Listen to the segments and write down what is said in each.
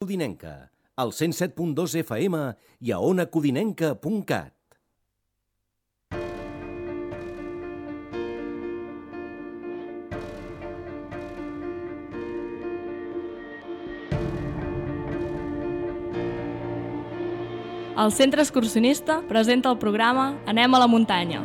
Codinenca, al 107.2 FM i a onacodinenca.cat. El Centre Excursionista presenta el programa Anem a la muntanya.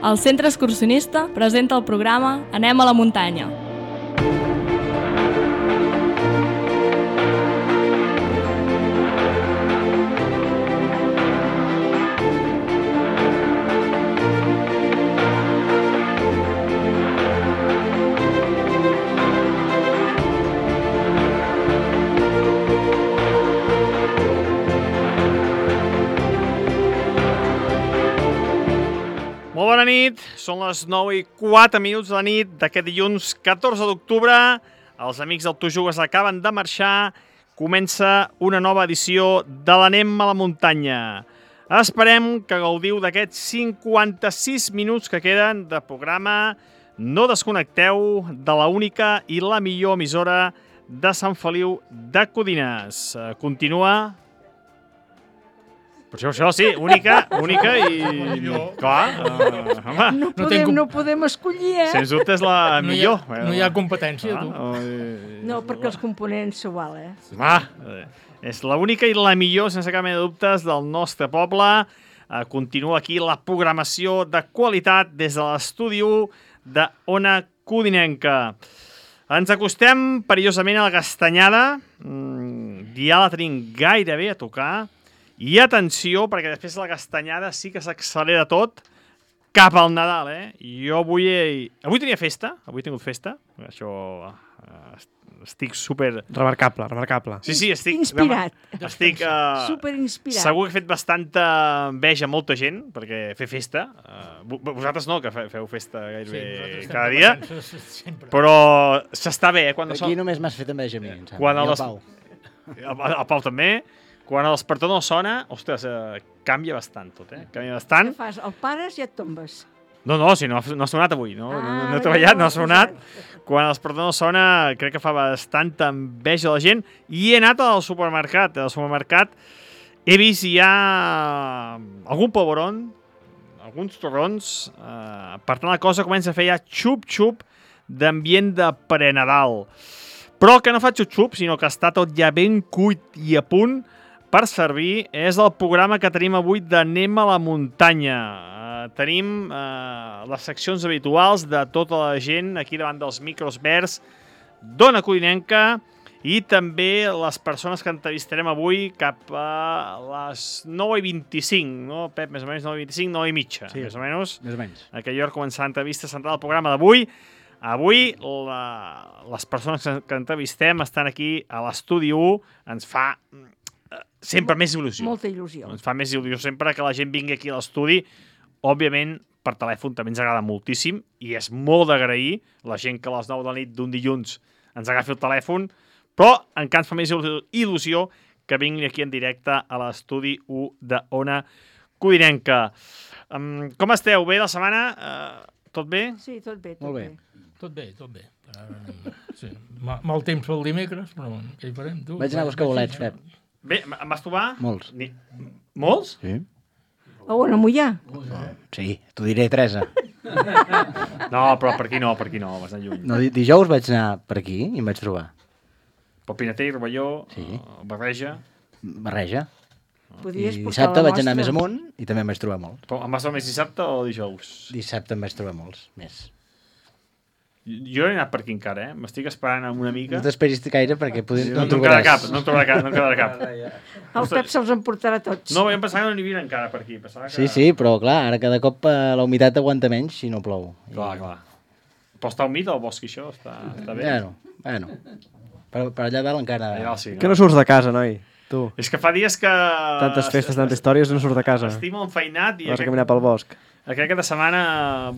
El Centre Excursionista presenta el programa Anem a la muntanya. Molt bona nit, són les 9:04 de la nit d'aquest dilluns 14 d'octubre. Els amics del Tu Jugues acaben de marxar. Comença una nova edició de l'Anem a la muntanya. Esperem que gaudiu d'aquests 56 minuts que queden de programa. No desconnecteu de la única i la millor emissora de Sant Feliu de Codines. Continua... Per això sí, única i... Clar, No podem escollir, eh? Sens dubte és la millor. No hi ha competència, tu. No, perquè els components s'ho val, eh? És l'única i la millor, sense cap mena de dubtes, del nostre poble. Continua aquí la programació de qualitat des de l'estudi de Ona Codinenca. Ens acostem perillosament a la Castanyada. Ja la tenim gairebé a tocar. I atenció, perquè després de la Castanyada sí que s'accelera tot. cap al Nadal, Jo avui tenia festa, avui he tingut festa, això estic super... Remarcable. Sí, estic... Inspirat. Estic... Superinspirat. Segur que he fet bastanta enveja a molta gent, perquè fer festa... vosaltres no, que feu festa gairebé cada dia, però s'està bé, quan... Aquí només m'has fet enveja a mi, em sembla. Quan I al Pau. El Pau també. Quan el despertador no sona, ostres, canvia bastant tot, Canvia bastant. Què fas? El pares i et tombes. No, si no ha sonat avui, no he ja treballat, no ha ho has sonat. Quan el despertador no sona, crec que fa bastanta enveja a la gent. I he anat al supermercat. Al supermercat he vist ja algun polvoron, alguns torrons. Per tant, la cosa comença a fer ja xup-xup d'ambient de pre-Nadal. Però que no fa xup-xup, sinó que està tot ja ben cuit i a punt per servir. És el programa que tenim avui d'Anem a la muntanya. Tenim les seccions habituals de tota la gent aquí davant dels micros verds d'Ona Codinenca i també les persones que entrevistarem avui cap a les 9:25, no, Pep? Més o menys 9:25, 9:30, sí, més o menys. Més o menys. Aquella hora començarà l'entrevista central del programa d'avui. Avui les persones que entrevistem estan aquí a l'estudi 1. Ens fa sempre més il·lusió. Molta il·lusió. Ens fa més il·lusió sempre que la gent vingui aquí a l'estudi. Òbviament, per telèfon també ens agrada moltíssim i és molt d'agrair la gent que a les 9 de la nit d'un dilluns ens agafi el telèfon, però encara ens fa més il·lusió que vingui aquí en directe a l'estudi 1 d'Ona Codinenca. Com esteu? Bé la setmana? Tot bé? Sí, tot bé. Molt bé. Tot bé. Sí. Mal temps pel dimecres, però què hi farem? Tu? Vaig anar a buscar bolets, Pep. Bé, em vas trobar? Molts. Molts? Sí. A on, a Mollà? Sí, t'ho diré, Teresa. No, però per aquí no, vas anar lluny. No, dijous vaig anar per aquí i em vaig trobar. Pel Pinater, Rovelló, Sí. Barreja. Barreja. Podies I portar dissabte la vaig anar mostra. més amunt i també em vaig trobar molts. Però em vas trobar més dissabte o dijous? Dissabte em vaig trobar molts, més. Jo he anat per aquí encara, M'estic esperant amb una mica. No t'esperis gaire perquè No em quedarà cap, no em quedarà cap. El Pep se'ls emportarà tots. No, jo em pensava que no n'hi havia encara per aquí. Sí, però clar, ara cada cop la humitat aguanta menys si no plou. Clar. Però està humit el bosc, això? Està bé? Bueno. Per allà dalt encara... Allà dalt sí, Que no surts de casa, noi, tu. És que fa dies que... Tantes festes, tantes històries, no surts de casa. Estic molt enfeinat i Vas a caminar pel bosc. aquest cap de setmana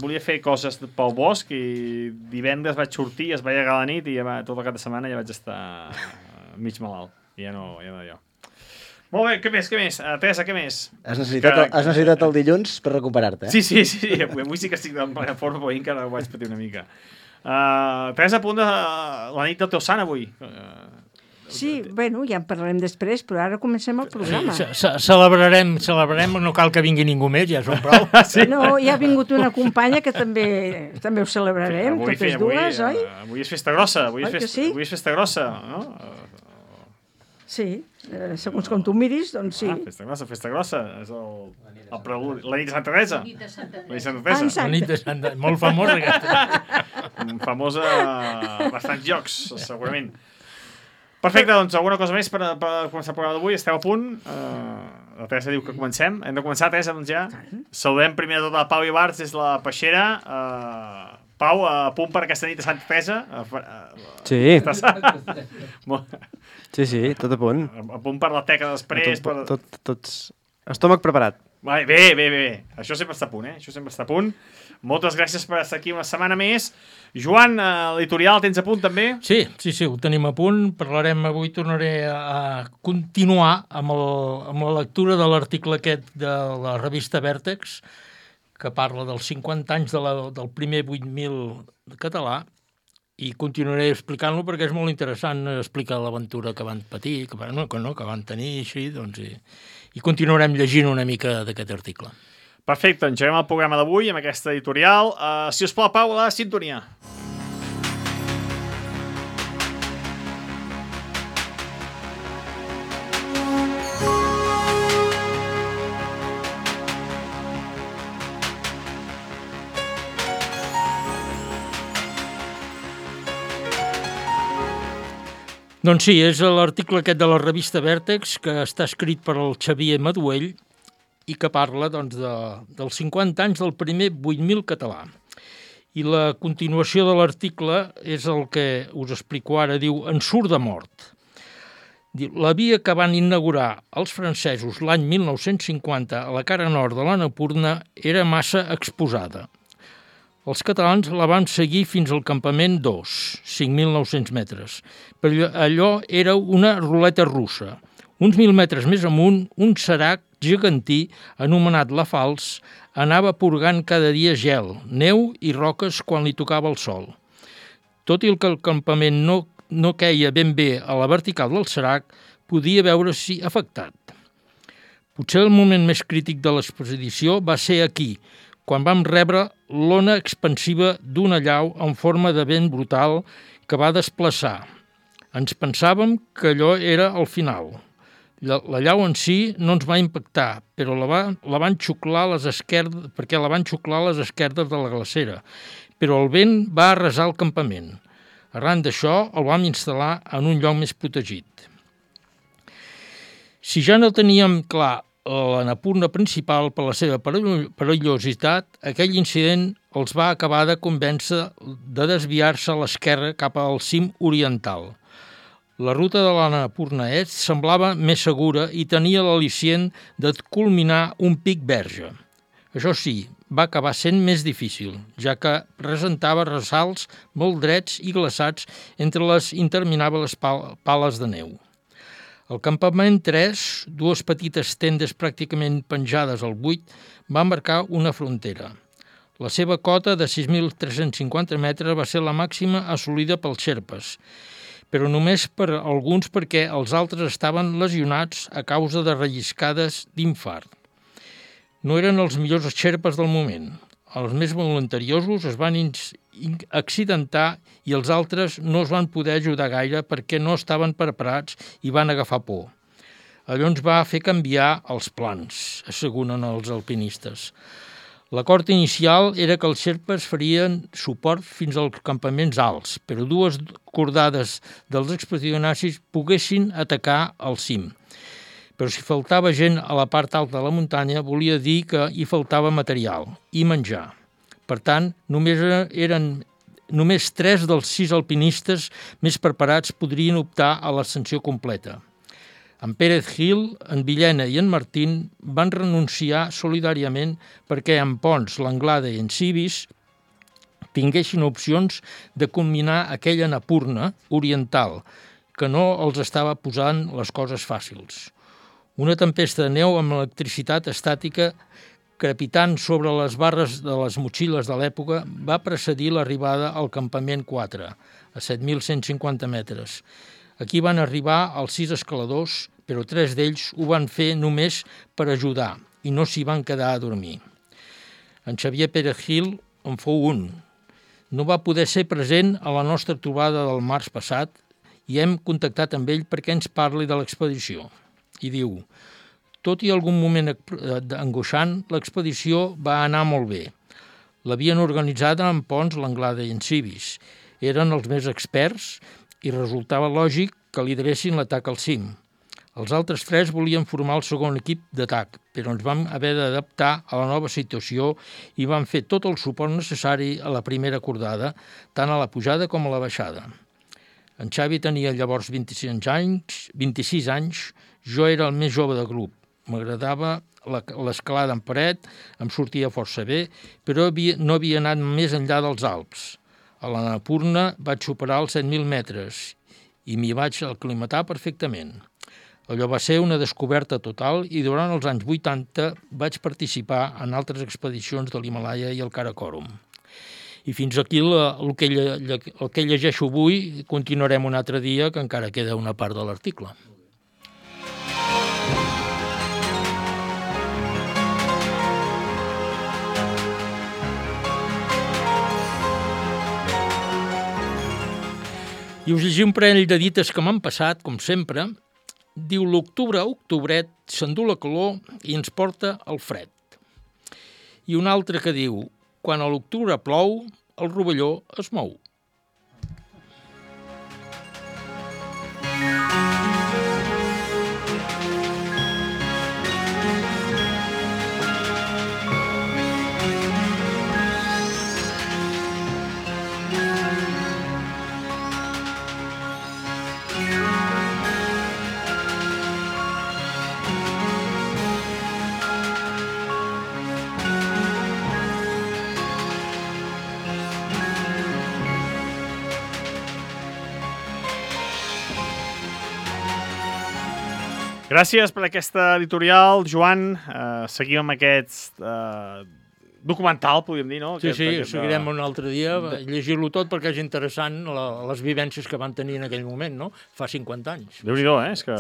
volia fer coses pel bosc i divendres vaig sortir, es veia a la nit i tot el cap de setmana ja vaig estar mig malalt. Ja no jo. Molt bé, què més? Teresa, què més? Has necessitat el dilluns per recuperar-te, Sí. Avui sí que estic en plena forma, però encara ho vaig patir una mica. Teresa, a punt de la nit del teu sant avui. Sí, bueno, ja en parlarem després, però ara comencem el programa. Celebrarem, no cal que vingui ningú més, ja som prou. No, ja ha vingut una companya que també ho celebrarem, totes dues, oi? Avui és festa grossa, avui Oi que sí? és festa grossa, no? Sí, segons com tu miris, doncs sí. Festa grossa, és el preludi, la nit de Santa Teresa. La nit de Santa Teresa. La nit de Santa, molt famosa aquesta. Famosa a bastants llocs, segurament. Perfecte, doncs alguna cosa més per començar el programa d'avui? Esteu a punt? La Teresa diu que comencem. Hem de començar, Teresa, doncs ja. Saludem primer de tot a Pau Ibarz des de la Peixera. Pau, a punt per aquesta nit de Santa Teresa? Sí. Estàs... Sí, tot a punt. A punt per la teca després. Tots... Estómac preparat. Bé. Això sempre està a punt, Això sempre està a punt. Moltes gràcies per estar aquí una setmana més. Joan, l'editorial tens a punt també? Sí, ho tenim a punt. Parlarem avui, tornaré a continuar amb la lectura de l'article aquest de la revista Vèrtex, que parla dels 50 anys del primer 8.000 català, i continuaré explicant-lo perquè és molt interessant explicar l'aventura que van patir, que van tenir, així, doncs, i continuarem llegint una mica d'aquest article. Perfecte, engeguem el programa d'avui amb aquesta editorial. Si us plau, Pau, la sintonia. Doncs sí, és l'article aquest de la revista Vèrtex, que està escrit per el Xavier Maduell, i que parla dels 50 anys del primer 8.000 català. I la continuació de l'article és el que us explico ara, diu En surt de mort. La via que van inaugurar els francesos l'any 1950 a la cara nord de l'Annapurna era massa exposada. Els catalans la van seguir fins al campament 2, 5.900 metres, però allò era una ruleta russa. Uns 1.000 metres més amunt, un serac gegantí, anomenat La Fals, anava purgant cada dia gel, neu i roques quan li tocava el sol. Tot i que el campament no queia ben bé a la vertical del serac, podia veure-s'hi afectat. Potser el moment més crític de l'expedició va ser aquí, quan vam rebre l'ona expansiva d'una allau en forma de vent brutal que va desplaçar. Ens pensàvem que allò era el final. La llau en si no ens va impactar, però la van xuclar perquè la van xuclar les esquerdes de la glacera, però el vent va arrasar el campament. Arran d'això, el vam instal·lar en un lloc més protegit. Si ja no teníem clar l'Annapurna principal per la seva perillositat, aquell incident els va acabar de convèncer de desviar-se a l'esquerra cap al cim oriental. La ruta de l'Annapurna Est semblava més segura i tenia l'al·licient de culminar un pic verge. Això sí, va acabar sent més difícil, ja que presentava ressalts molt drets i glaçats entre les interminables pales de neu. Al campament 3, dues petites tendes pràcticament penjades al buit, va marcar una frontera. La seva cota de 6.350 metres va ser la màxima assolida pels xerpes, però només per alguns perquè els altres estaven lesionats a causa de relliscades d'infart. No eren els millors xerpes del moment. Els més voluntariosos es van accidentar i els altres no es van poder ajudar gaire perquè no estaven preparats i van agafar por. Allò ens va fer canviar els plans, asseguren els alpinistes. L'acord inicial era que els xerpes farien suport fins als campaments alts, però dues cordades dels expedicionaris poguessin atacar el cim. Però si faltava gent a la part alta de la muntanya, volia dir que hi faltava material i menjar. Per tant, només 3 dels 6 alpinistes més preparats podrien optar a l'ascensió completa. En Pérez Gil, en Villena i en Martín van renunciar solidàriament perquè en Pons, l'Anglada i en Civis tinguessin opcions de combinar aquella Annapurna oriental, que no els estava posant les coses fàcils. Una tempesta de neu amb electricitat estàtica crepitant sobre les barres de les motxilles de l'època va precedir l'arribada al campament 4, a 7.150 metres. Aquí van arribar els 6 escaladors, però 3 d'ells ho van fer només per ajudar i no s'hi van quedar a dormir. En Xavier Pérez Gil en fou un. No va poder ser present a la nostra trobada del març passat i hem contactat amb ell perquè ens parli de l'expedició. I diu: tot i algun moment angoixant, l'expedició va anar molt bé. L'havien organitzada en Pons, l'Anglada i en Civis. Eren els més experts i resultava lògic que lideressin l'atac al cim. Els altres 3 volien formar el segon equip d'atac, però ens vam haver d'adaptar a la nova situació i vam fer tot el suport necessari a la primera cordada, tant a la pujada com a la baixada. En Xavi tenia llavors 26 anys, jo era el més jove del grup. M'agradava l'escalada en paret, em sortia força bé, però no havia anat més enllà dels Alps. A l'Annapurna vaig superar els 7.000 metres i m'hi vaig aclimatar perfectament. Allò va ser una descoberta total i durant els anys 80 vaig participar en altres expedicions de l'Himàlaia i el Karakorum. I fins aquí el que llegeixo avui, continuarem un altre dia, que encara queda una part de l'article. I us llegim un parell de dites que m'han passat, com sempre. Diu: l'octubre, octobret, s'endú la calor i ens porta el fred. I un altre que diu: quan a l'octubre plou, el rovelló es mou. Gràcies per aquesta editorial, Joan. Seguim amb aquest documental, podríem dir, no? Sí, seguirem un altre dia, llegir-lo tot perquè és interessant les vivències que van tenir en aquell moment, no? Fa 50 anys. Déu-n'hi-do, és que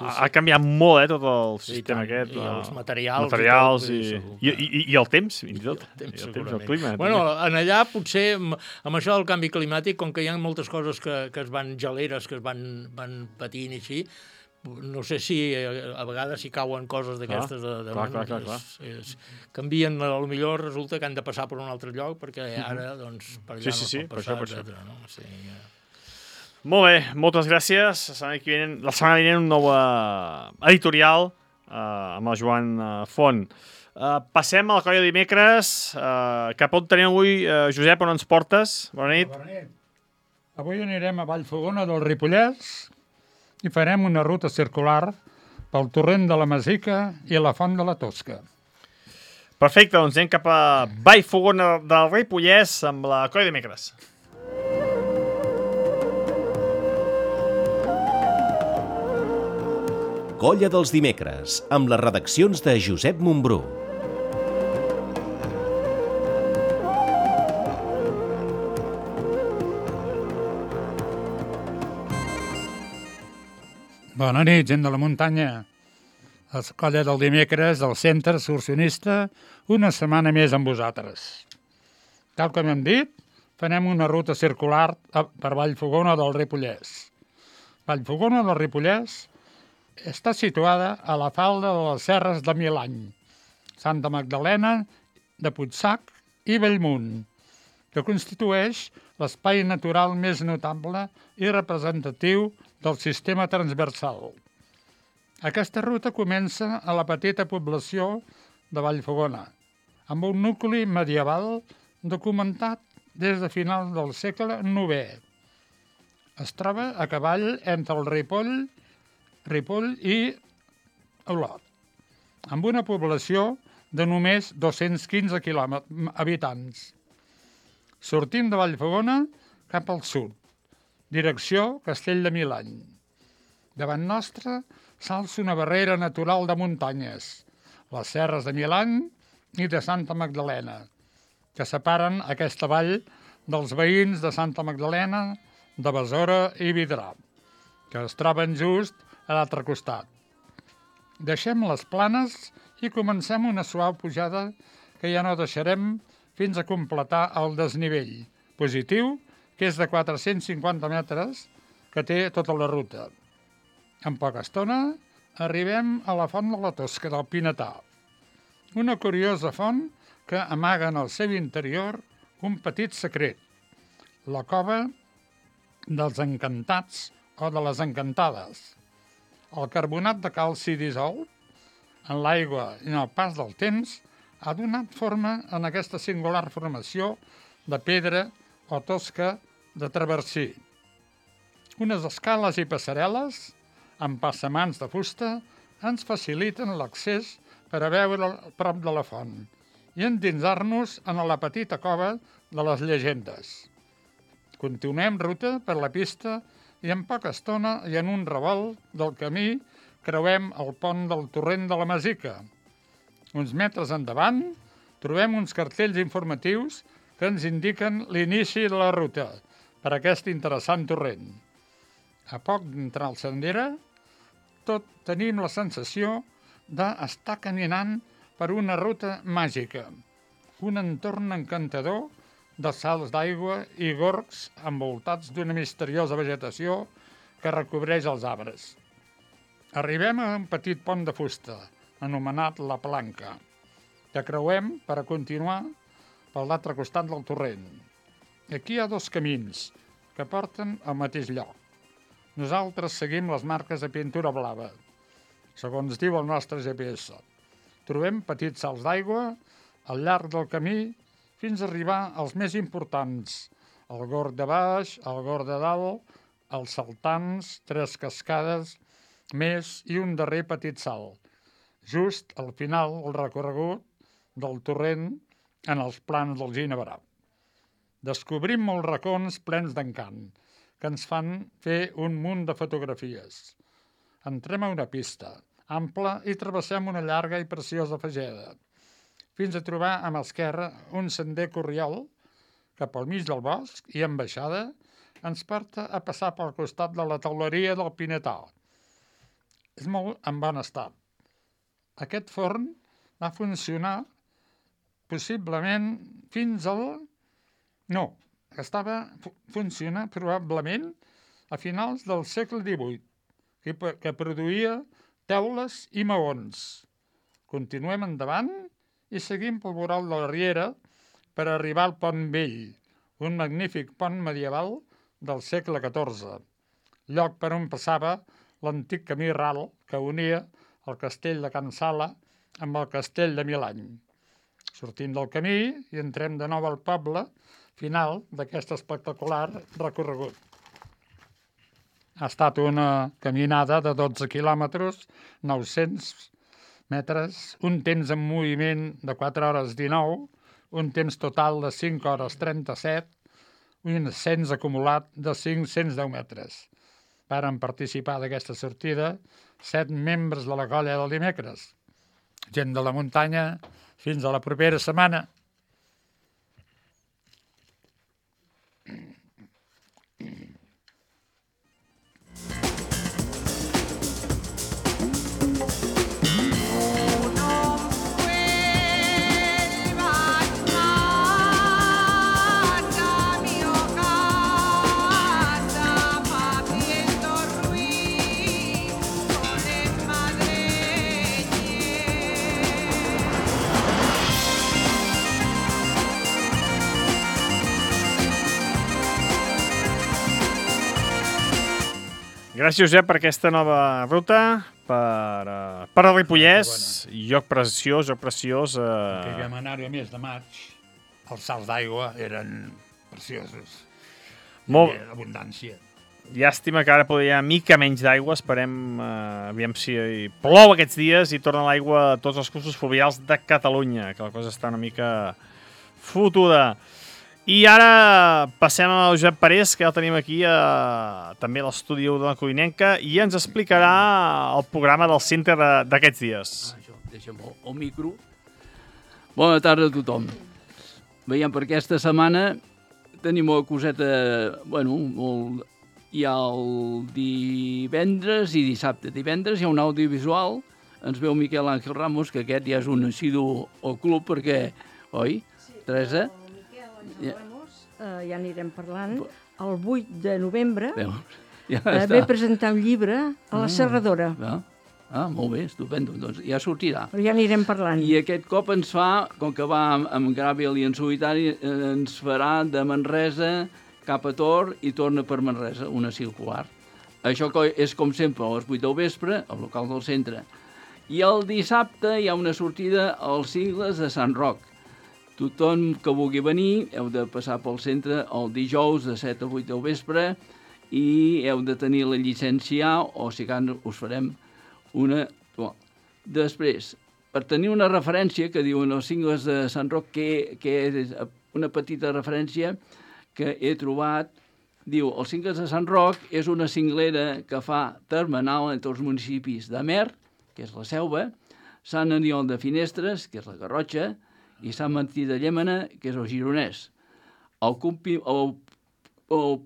ha canviat molt, tot el sistema aquest. I els materials. I el temps, fins i tot. El clima. Bueno, en allà potser, amb això del canvi climàtic, com que hi ha moltes coses que es van geleres, que es van patint i així, no sé si a vegades si cauen coses d'aquestes clar. Canvien, potser resulta que han de passar per un altre lloc perquè ara doncs per allà no pot passar, etcètera, no? Molt bé, moltes gràcies. La setmana vinent un nou editorial amb el Joan Font. Passem a la colla de dimecres. Cap on tenim avui, Josep, on ens portes? Bona nit. Bona nit. Avui anirem a Vallfogona del Ripollès i farem una ruta circular pel torrent de la Masica i la Font de la Tosca. Perfecte, doncs anem cap a Vallfogona del Ripollès amb la colla de dimecres. Colla dels dimecres, amb les redaccions de Josep Montbrú. Bona nit, gent de la muntanya. La colla del dimecres del Centre Excursionista, una setmana més amb vosaltres. Tal com hem dit, farem una ruta circular per Vallfogona del Ripollès. Vallfogona del Ripollès està situada a la falda de les serres de Milany, Santa Magdalena, de Puigsac i Bellmunt, que constitueix l'espai natural més notable i representatiu del sistema transversal. Aquesta ruta comença a la petita població de Vallfogona, amb un nucli medieval documentat des de finals del segle IX. Es troba a cavall entre el Ripoll i Olot, amb una població de només 215 habitants. Sortim de Vallfogona cap al sud, direcció Castell de Milany. Davant nostre s'alça una barrera natural de muntanyes, les serres de Milany i de Santa Magdalena, que separen aquesta vall dels veïns de Santa Magdalena, de Besora i Vidrà, que es troben just a l'altre costat. Deixem les planes i comencem una suau pujada que ja no deixarem fins a completar el desnivell positiu, que és de 450 metres, que té tota la ruta. En poca estona arribem a la Font de la Tosca del Pinetà, una curiosa font que amaga en el seu interior un petit secret, la cova dels encantats o de les encantades. El carbonat de calci dissolt en l'aigua i en el pas del temps ha donat forma en aquesta singular formació de pedra o tosca de traversí. Unes escales i passarel·les amb passamans de fusta ens faciliten l'accés per a veure prop de la font i endinsar-nos en la petita cova de les llegendes. Continuem ruta per la pista i en poca estona i en un revolt del camí creuem el pont del torrent de la Masica. Uns metres endavant trobem uns cartells informatius que ens indiquen l'inici de la ruta per aquest interessant torrent. A poc d'entrar al sendera, tot tenim la sensació d'estar caminant per una ruta màgica, un entorn encantador de salts d'aigua i gorgs envoltats d'una misteriosa vegetació que recobreix els arbres. Arribem a un petit pont de fusta, anomenat La Planca, que creuem per a continuar per l'altre costat del torrent. Aquí hi ha dos camins que porten al mateix lloc. Nosaltres seguim les marques de pintura blava, segons diu el nostre GPS. Trobem petits salts d'aigua al llarg del camí fins a arribar als més importants, el Gorg de baix, el Gorg de dalt, els saltants, 3 cascades, més i un darrer petit salt, just al final del recorregut del torrent en els plans del Ginebrà. Descobrim molts racons plens d'encant, que ens fan fer un munt de fotografies. Entrem a una pista ampla i travessem una llarga i preciosa fageda, fins a trobar a mà esquerra un sender corriol cap al mig del bosc i en baixada ens porta a passar pel costat de la teuleria del Pinetà. És molt en bon estat. Aquest forn va funcionar possiblement fins al... No, funciona probablement a finals del segle XVIII, que produïa teules i maons. Continuem endavant i seguim pel voral de la Riera per arribar al Pont Vell, un magnífic pont medieval del segle XIV, lloc per on passava l'antic camí ral que unia el castell de Can Sala amb el castell de Milany. Sortim del camí i entrem de nou al poble final d'aquest espectacular recorregut. Ha estat una caminada de 12 quilòmetres, 900 metres, un temps en moviment de 4 hores 19, un temps total de 5 hores 37, un ascens acumulat de 510 metres. Varen participar d'aquesta sortida 7 membres de la colla del dimecres. Gent de la muntanya, fins a la propera setmana. Gràcies, Josep, per aquesta nova ruta, per a Ripollès, lloc preciós. Que vam anar-hi a mes de maig, els salts d'aigua eren preciosos. Molt Abundància. llàstima que ara podria haver mica menys d'aigua, esperem, aviam si plou aquests dies i torna l'aigua a tots els cursos fluvials de Catalunya, que la cosa està una mica fotuda. I ara passem al Josep Parés, que ja el tenim aquí també a l'estudi de la Codinenca, i ens explicarà el programa del Cinter d'aquests dies. Deixa'm el micro. Bona tarda a tothom. Veiem, per aquesta setmana tenim una coseta, hi ha el divendres i dissabte. Divendres hi ha un audiovisual, ens veu Miquel Àngel Ramos, que aquest ja és un assidu al club, perquè, oi, Teresa? Ja anirem parlant. El 8 de novembre Ja ve presentar un llibre a la Serradora. Molt bé, estupendo. Doncs ja sortirà. Però ja anirem parlant. I aquest cop ens fa, com que va amb Gràbil i en solitari, ens farà de Manresa cap a Tor i torna per Manresa, una circular. Això és com sempre a les 8 del vespre, al local del centre. I el dissabte hi ha una sortida als Cingles de Sant Roc. Tothom que vulgui venir heu de passar pel centre el dijous de 7 a 8 del vespre i heu de tenir la llicència o si cal us farem una... Després, per tenir una referència que diuen els Cingles de Sant Roc, que és una petita referència que he trobat, diu, els Cingles de Sant Roc és una cinglera que fa termenal entre els municipis d'Amer, que és la Selva, Sant Aniol de Finestres, que és la Garrotxa, i Sant Martí de Llémena, que és el Gironès. El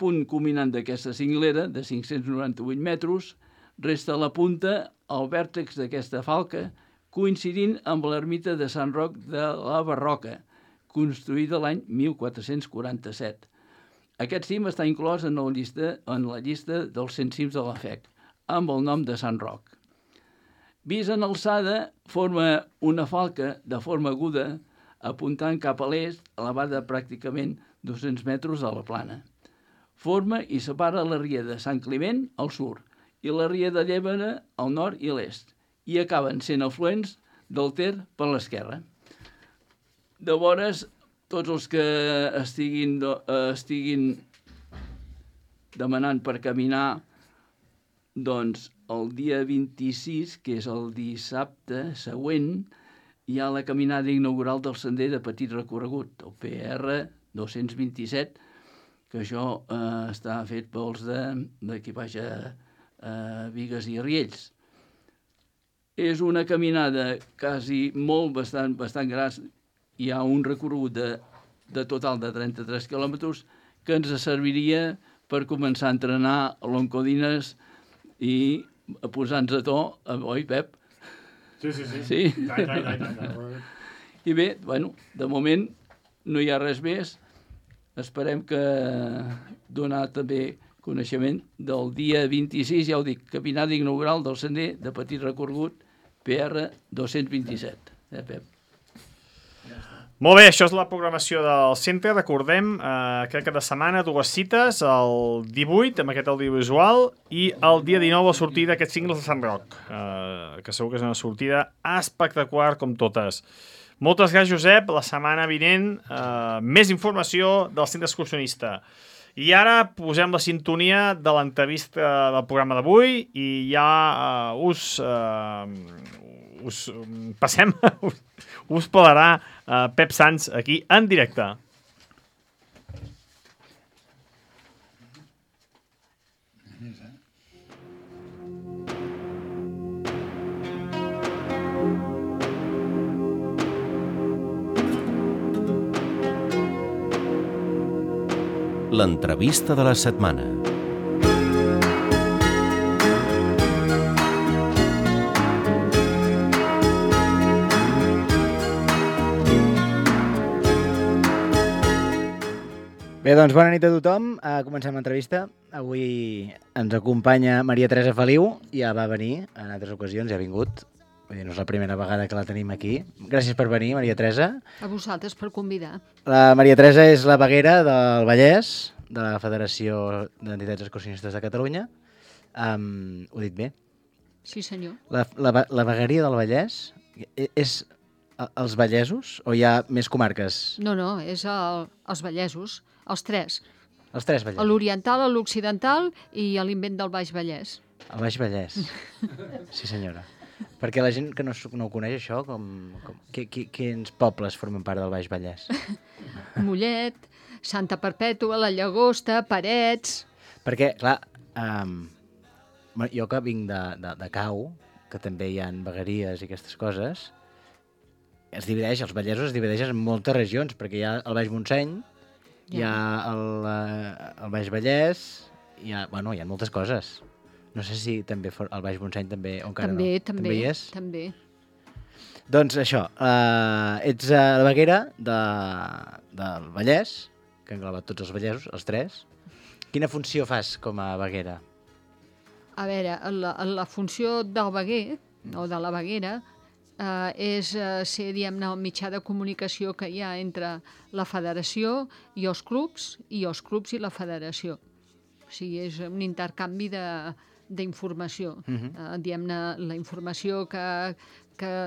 punt culminant d'aquesta cinglera, de 598 metres, resta a la punta al vèrtex d'aquesta falca, coincidint amb l'ermita de Sant Roc de la Barroca, construïda l'any 1447. Aquest cim està inclòs en la llista dels 100 cims de la FEC, amb el nom de Sant Roc. Vist en alçada, forma una falca de forma aguda, apuntant cap a l'est, elevada pràcticament 200 metres a la plana. Forma i separa la ria de Sant Climent al sud i la ria de Llémena al nord i l'est, i acaben sent afluents del Ter per l'esquerra. Llavors, tots els que estiguin demanant per caminar, doncs el dia 26, que és el dissabte següent, hi ha la caminada inaugural del sender de petit recorregut, el PR 227, que això està fet pels d'aquí baix Bigues i Riells. És una caminada quasi bastant gran. Hi ha un recorregut de total de 33 quilòmetres que ens serviria per començar a entrenar a l'Oncodines i a posar-nos a to, oi, Pep? Sí? I bé, bueno, de moment no hi ha res més. Esperem que donar també coneixement del dia 26, ja ho dic, caminada inaugural del sender de petit recorregut PR 227. Pep? Molt bé, això és la programació del centre. Recordem que cada setmana dues cites, el 18 amb aquest audiovisual i el dia 19 la sortida d'aquests cingles de Sant Roc, que segur que és una sortida espectacular com totes. Moltes gràcies, Josep. La setmana vinent més informació del centre excursionista. I ara posem la sintonia de l'entrevista del programa d'avui i ja us passem, us parlarà Pep Sans aquí en directe. L'entrevista de la setmana. Bé, doncs bona nit a tothom. Comencem l'entrevista. Avui ens acompanya Maria Teresa Feliu. Ja va venir en altres ocasions, ja ha vingut. Vull dir, no és la primera vegada que la tenim aquí. Gràcies per venir, Maria Teresa. A vosaltres per convidar. La Maria Teresa és la veguera del Vallès, de la Federació d'Entitats Excursionistes de Catalunya. Ho he dit bé? Sí, senyor. La vegueria del Vallès és els vallesos o hi ha més comarques? No, és els vallesos, els tres. Els tres vallesos. L'oriental, l'occidental i l'Invent del Baix Vallès. El Baix Vallès. Sí, senyora. Perquè la gent que no ho coneix, això, quins pobles formen part del Baix Vallès? Mollet, Santa Perpètua, la Llagosta, Parets... Perquè, clar, jo que vinc de Cau, que també hi ha vegueries i aquestes coses, els vallesos es divideixen en moltes regions, perquè hi ha el Baix Montseny, hi ha el Baix Vallès, hi ha moltes coses. No sé si també el Baix Montseny també, o encara no. També hi és? També. Doncs això, ets la veguera del Vallès, que ha englobat tots els vallesos, els tres. Quina funció fas com a veguera? A veure, la funció del veguer, o de la veguera, és ser, diguem-ne, el mitjà de comunicació que hi ha entre la federació i els clubs i la federació. O sigui, és un intercanvi d'informació. Diguem-ne, la informació que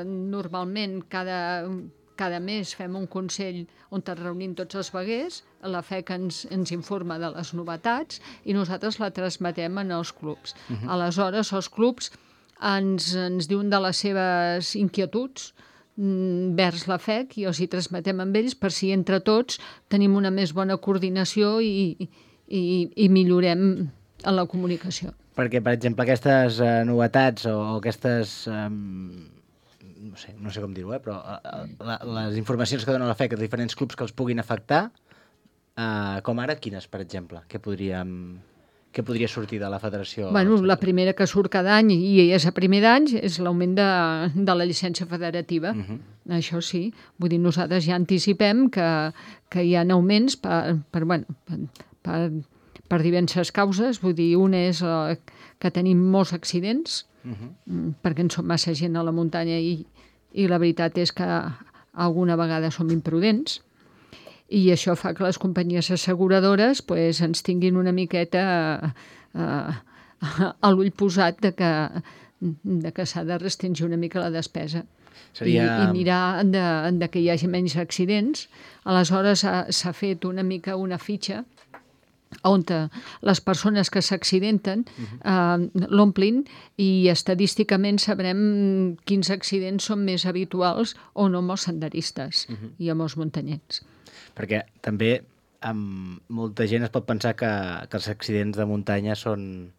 normalment cada mes fem un consell on ens reunim tots els veguers, la FEC ens informa de les novetats i nosaltres la transmetem en els clubs. Aleshores, els clubs ens diuen de les seves inquietuds vers la FEC i els hi transmetem amb ells per si entre tots tenim una més bona coordinació i millorem en la comunicació. Perquè, per exemple, aquestes novetats o aquestes... no sé com dir-ho, però les informacions que dona la FEC a diferents clubs que els puguin afectar, com ara, quines, per exemple? Què podria sortir de la federació? Bueno, la primera que surt cada any, i és a primer d'any, és l'augment de la llicència federativa. Això sí. Vull dir, nosaltres ja anticipem que hi ha augments per diverses causes. Vull dir, una és que tenim molts accidents, perquè en som massa gent a la muntanya i la veritat és que alguna vegada som imprudents. I això fa que les companyies asseguradores ens tinguin una miqueta a l'ull posat de que s'ha de restringir una mica la despesa i mirar que hi hagi menys accidents. Aleshores s'ha fet una mica una fitxa on les persones que s'accidenten l'omplin i estadísticament sabrem quins accidents són més habituals o no amb els senderistes i amb els muntanyets. Perquè també molta gent es pot pensar que els accidents de muntanya són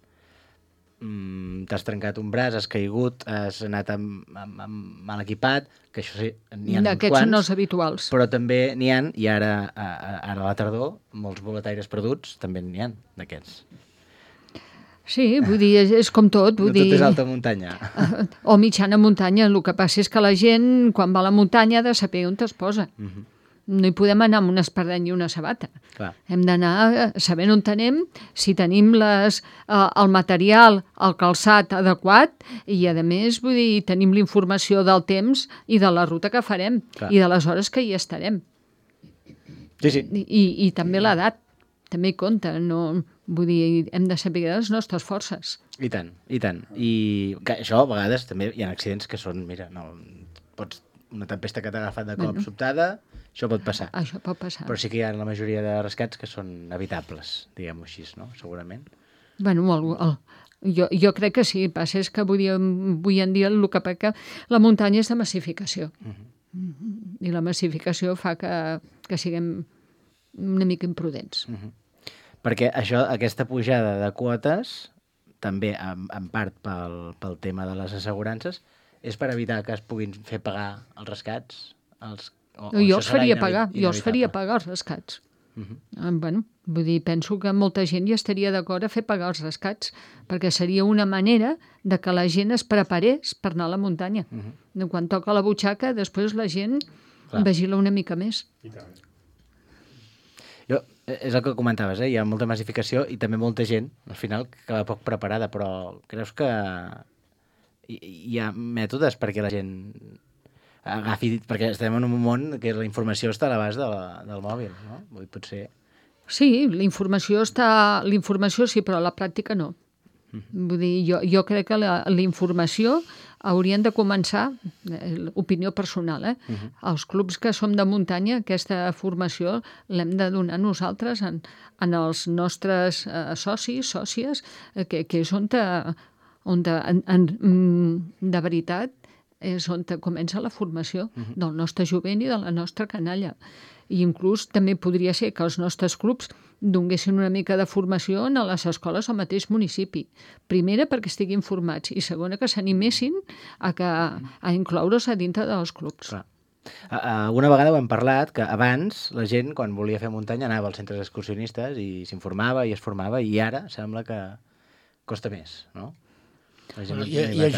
t'has trencat un braç, has caigut, has anat mal equipat, que això sí, n'hi ha uns Aquests quants. són els habituals. Però també n'hi ha, i ara a la tardor, molts boletaires perduts, també n'hi ha d'aquests. Sí, vull dir, és com tot. No tot és alta muntanya. O mitjana muntanya. El que passa és que la gent, quan va a la muntanya, ha de saber on es posa. No hi podem anar amb una espardenya i una sabata. Clar. Hem d'anar sabent on anem, si tenim el material, el calçat adequat, i a més, vull dir, tenim la informació del temps i de la ruta que farem, i de les hores que hi estarem. Sí. I també l'edat, també hi compta, no... Vull dir, hem de saber les nostres forces. I tant, i tant. I això, a vegades, també hi ha accidents que són, mira, una tempesta que t'ha agafat de cop sobtada, això pot passar. Això pot passar. Però sí que hi ha la majoria de rescats que són evitables, diguem-ho així, no? Segurament. Bueno, jo crec que sí. El que passa és que avui en dia el que peca la muntanya és de massificació. I la massificació fa que siguem una mica imprudents. Perquè aquesta pujada de quotes, també en part pel tema de les assegurances, és per evitar que es puguin fer pagar els rescats? Jo els faria pagar els rescats. Bueno, vull dir, penso que molta gent hi estaria d'acord a fer pagar els rescats, perquè seria una manera de que la gent es preparés per anar a la muntanya. Quan toca la butxaca, després la gent vigila una mica més. És el que comentaves, hi ha molta massificació i també molta gent, al final, que va poc preparada, però creus que hi ha mètodes perquè la gent agafi... Perquè estem en un món que la informació està a l'abast del mòbil, no? Potser... Sí, la informació sí, però a la pràctica no. Vull dir, jo crec que la informació haurien de començar, opinió personal, els clubs que som de muntanya, aquesta formació l'hem de donar nosaltres en els nostres socis, sòcies, que és on de veritat és on comença la formació del nostre jovent i de la nostra canalla. I inclús també podria ser que els nostres clubs donguessin una mica de formació a les escoles al mateix municipi. Primera, perquè estiguin formats, i segona, que s'animessin a incloure's a dintre dels clubs. Una vegada ho hem parlat, que abans la gent, quan volia fer muntanya, anava als centres excursionistes i s'informava i es formava, i ara sembla que costa més, no? Hi ha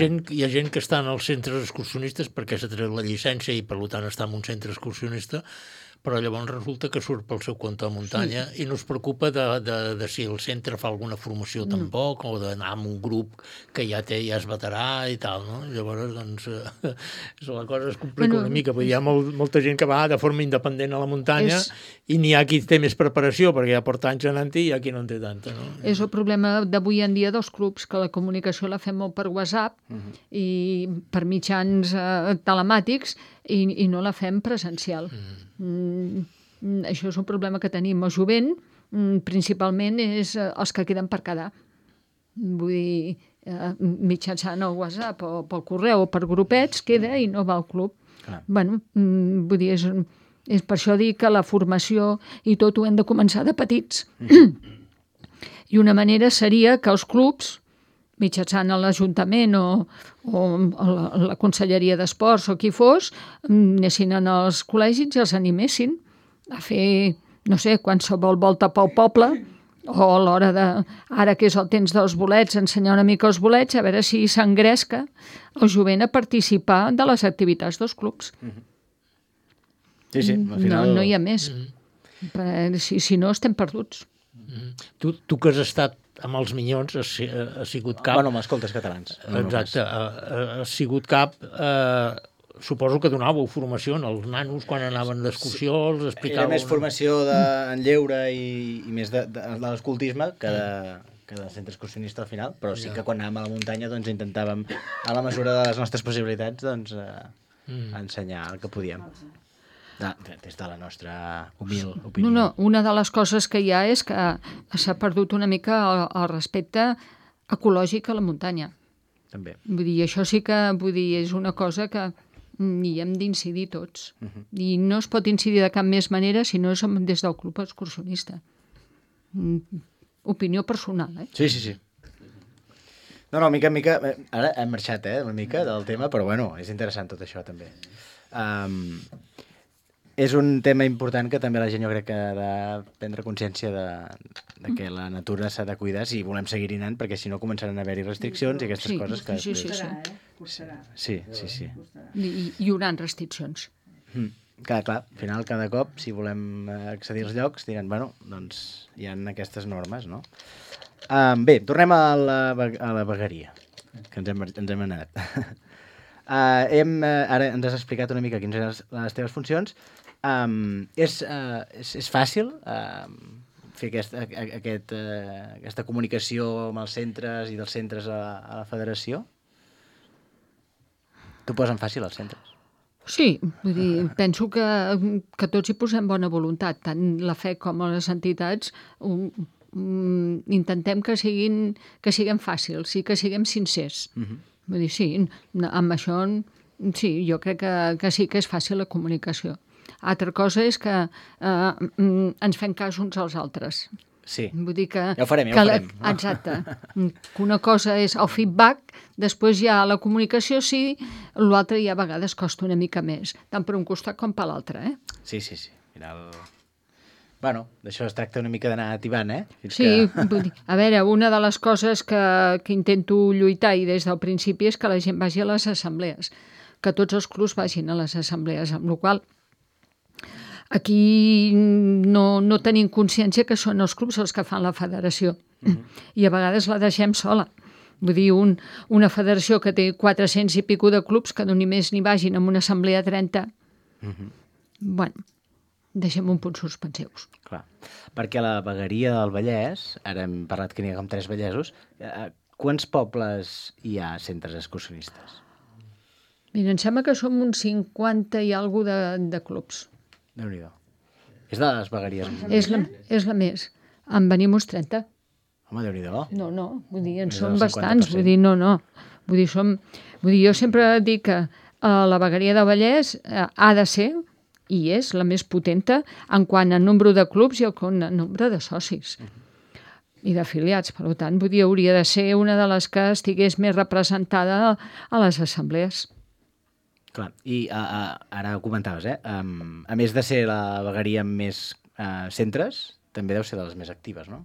gent que està en els centres excursionistes perquè s'ha tret la llicència i per tant està en un centre excursionista, però llavors resulta que surt pel seu compte a muntanya i no es preocupa de si el centre fa alguna formació tampoc, o d'anar amb un grup que ja és veterà i tal, no? Llavors, doncs, la cosa es complica una mica, perquè hi ha molta gent que va de forma independent a la muntanya i n'hi ha qui té més preparació, perquè ja porta anys anant-hi i hi ha qui no en té tanta, no? És el problema d'avui en dia dels clubs, que la comunicació la fem molt per WhatsApp i per mitjans telemàtics i no la fem presencial. Això és un problema que tenim. El jovent, principalment, és els que queden per quedar. Vull dir, mitjançant el WhatsApp o pel correu o per grupets, queda i no va al club. Bueno, vull dir, és per això dir que la formació i tot ho hem de començar de petits. I una manera seria que els clubs, mitjançant l'Ajuntament o la Conselleria d'Esports o qui fos, anessin als col·legis i els animessin a fer, no sé, qualsevol volta pel poble, o a l'hora de, ara que és el temps dels bolets, ensenyar una mica els bolets, a veure si s'engresca el jovent a participar de les activitats dels clubs. Sí, al final... No hi ha més. Si no, estem perduts. Tu que has estat amb els Minyons, has sigut cap... Bueno, amb escoltes catalans. Exacte, has sigut cap... Suposo que donàveu formació als nanos quan anaven d'excursió, els explicàveu... Era més formació en lleure i més de l'escoltisme que de centre excursionista al final, però sí que quan anàvem a la muntanya doncs intentàvem, a la mesura de les nostres possibilitats, doncs ensenyar el que podíem. Des de la nostra humil opinió. No, una de les coses que hi ha és que s'ha perdut una mica el respecte ecològic a la muntanya. També. Vull dir, això sí que és una cosa que hi hem d'incidir tots. I no es pot incidir de cap més manera si no és des del club excursionista. Opinió personal, Sí. No, mica en mica... Ara hem marxat, una mica del tema, però bueno, és interessant tot això, també. És un tema important que també la gent jo crec que ha de prendre consciència de que la natura s'ha de cuidar si volem seguir-hi anant, perquè si no començaran a haver-hi restriccions i aquestes coses que... Sí. Hi haurà restriccions. Clar, al final, cada cop, si volem accedir als llocs, diran, bueno, doncs hi ha aquestes normes, no? Bé, tornem a la vegueria, que ens hem anat. Ara ens has explicat una mica quines eren les teves funcions. És fàcil fer aquesta comunicació amb els centres i dels centres a la federació? T'ho posen fàcil, els centres? Sí, vull dir, penso que tots hi posem bona voluntat, tant la fe com les entitats. Intentem que siguem fàcils i que siguem sincers. Vull dir, sí, amb això sí, jo crec que sí que és fàcil la comunicació. Altra cosa és que ens fem cas uns als altres. Sí, vull dir que, ja ho farem. Exacte. Que una cosa és el feedback, després hi ha la comunicació, sí, l'altre ja a vegades costa una mica més, tant per un costat com per l'altre, Sí. Al final... Bueno, d'això es tracta una mica d'anar ativant, Sí, vull dir, a veure, una de les coses que intento lluitar i des del principi és que la gent vagi a les assemblees, que tots els clubs vagin a les assemblees, amb la qual aquí no tenim consciència que són els clubs els que fan la federació i a vegades la deixem sola. Vull dir, una federació que té 400 i pico de clubs que només n'hi vagin amb una assemblea 30, bueno, deixem un punt suspensius. Clar, perquè a la vegueria del Vallès, ara hem parlat que n'hi ha com 3 vallesos, quants pobles hi ha centres excursionistes? Mira, em sembla que som uns 50 i alguna de clubs. Déu-n'hi-do. És de les vegueries. És la més. En venim uns 30. Home, Déu-n'hi-do. No, vull dir, en som bastants. Vull dir, no. Vull dir, jo sempre dic que la vegueria de Vallès ha de ser i és la més potenta en quant a nombre de clubs i en nombre de socis i d'afiliats. Per tant, vull dir, hauria de ser una de les que estigués més representada a les assemblees. Clar, i ara ho comentaves, a més de ser la vegueria amb més centres, també deu ser de les més actives, no?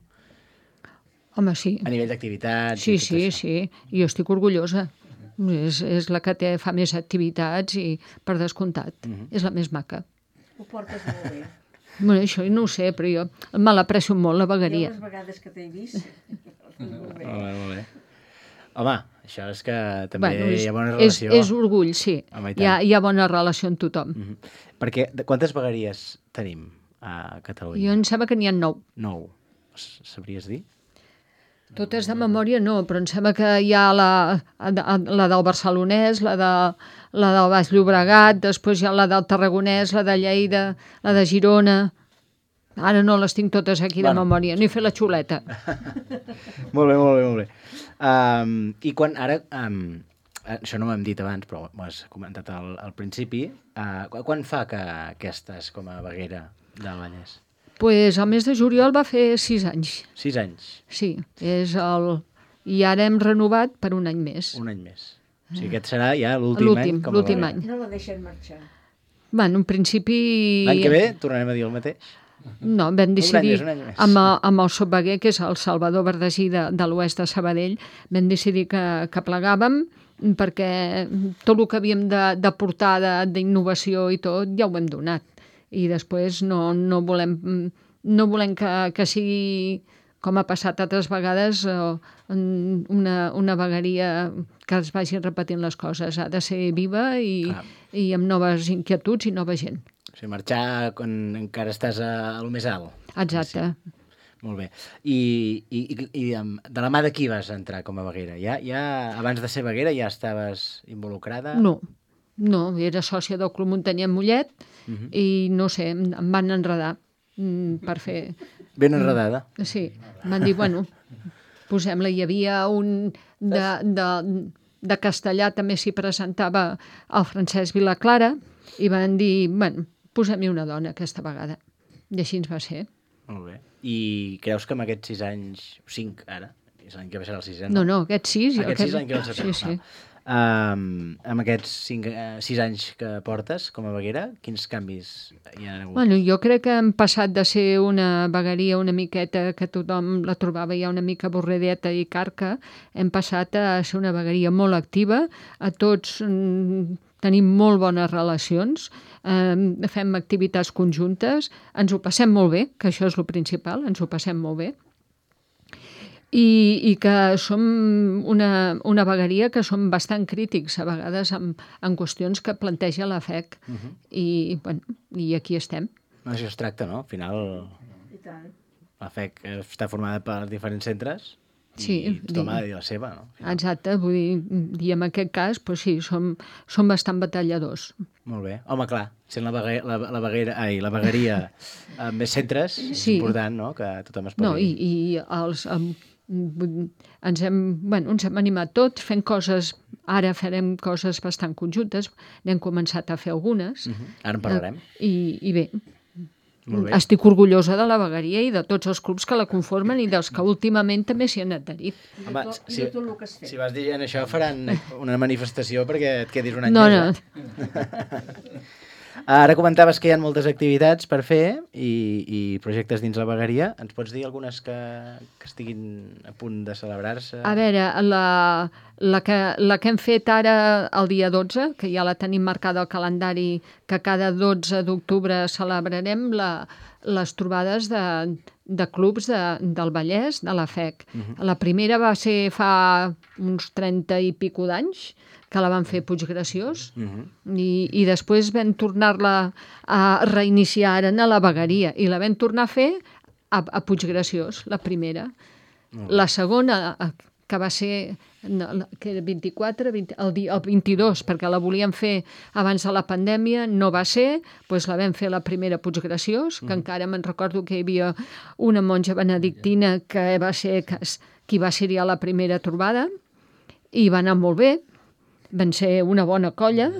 Home, sí. A nivell d'activitats... Sí. Jo estic orgullosa. És la que fa més activitats i, per descomptat, és la més maca. Ho portes molt bé. Bueno, això no ho sé, però jo me l'aprecio molt, la vegueria. Jo les vegades que t'he vist... Molt bé. Home, això és que també hi ha bona relació. És orgull, sí. Hi ha bona relació amb tothom. Perquè quantes vegueries tenim a Catalunya? Jo em sembla que n'hi ha 9. 9. Sabries dir? Totes de memòria no, però em sembla que hi ha la del Barcelonès, la del Baix Llobregat, després hi ha la del Tarragonès, la de Lleida, la de Girona... Ara no les tinc totes aquí de memòria, no he fet la xuleta. Molt bé. I quan ara, això no ho hem dit abans, però ho has comentat al principi, quan fa que estàs com a veguera del Vallès? Pues el mes de juliol va fer 6 anys. 6 anys? Sí, i ara hem renovat per un any més. Un any més. O sigui, aquest serà ja l'últim any com a veguera. No la deixen marxar. Bueno, en principi... L'any que ve tornarem a dir el mateix? No, vam decidir, un any més. amb el subveguer, que és el Salvador Verdesí de l'oest de Sabadell, vam decidir que plegàvem perquè tot el que havíem de portar d'innovació i tot ja ho hem donat. I després no volem que sigui, com ha passat altres vegades, una vegueria que es vagi repetint les coses. Ha de ser viva i amb noves inquietuds i nova gent. O sigui, marxar quan encara estàs a lo més alt. Exacte. Sí. Molt bé. I de la mà de qui vas entrar com a veguera? Ja abans de ser veguera ja estaves involucrada? No, era sòcia del Club Muntanyer Mollet i no sé, em van enredar per fer... Ben enredada? Sí, em van dir, bueno, posem-la. Hi havia un de castellà, també s'hi presentava el Francesc Vilaclara, i van dir, bueno, posem-hi una dona aquesta vegada. I així ens va ser. Molt bé. I creus que amb aquests 6 anys, 5 ara, l'any que ve serà el 6è, No, no, aquest 6. Aquest 6 l'any que ve el 7è. Sí. Amb aquests 6 anys que portes com a veguera, quins canvis hi ha hagut? Bueno, jo crec que hem passat de ser una vegueria una miqueta que tothom la trobava ja una mica avorrideta i carca, hem passat a ser una vegueria molt activa, a tots tenim molt bones relacions, fem activitats conjuntes, ens ho passem molt bé, que això és el principal, ens ho passem molt bé, i que som una vegueria que som bastant crítics a vegades en qüestions que planteja la FEC i aquí estem. Això es tracta, no? Al final la FEC està formada per diferents centres i tothom ha de dir la seva, no? Exacte, vull dir, i en aquest cas, doncs sí, som bastant batalladors. Molt bé. Home, clar, sent la vegueria amb més centres, és important, no?, que tothom es posi... No, i ens hem animat tots fent coses, ara farem coses bastant conjuntes, n'hem començat a fer algunes. Ara en parlarem. I bé, estic orgullosa de la vegueria i de tots els clubs que la conformen i dels que últimament també s'hi han adherit. Home, si vas dient això faran una manifestació perquè et quedis un any més. No. Ara comentaves que hi ha moltes activitats per fer i projectes dins la vegueria. Ens pots dir algunes que estiguin a punt de celebrar-se? A veure, la que hem fet ara el dia 12, que ja la tenim marcada al calendari, que cada 12 d'octubre celebrarem les trobades de clubs del Vallès, de la FEC. La primera va ser fa uns 30 i pico d'anys, que la van fer Puiggraciós, i després vam tornar-la a reiniciar ara a la vegueria, i la vam tornar a fer a Puiggraciós, la primera. La segona, que va ser que era 24, el 22, perquè la volíem fer abans de la pandèmia, no va ser, doncs la vam fer la primera a Puiggraciós, que encara me'n recordo que hi havia una monja benedictina que va ser qui va ser ja la primera trobada, i va anar molt bé, van ser una bona colla.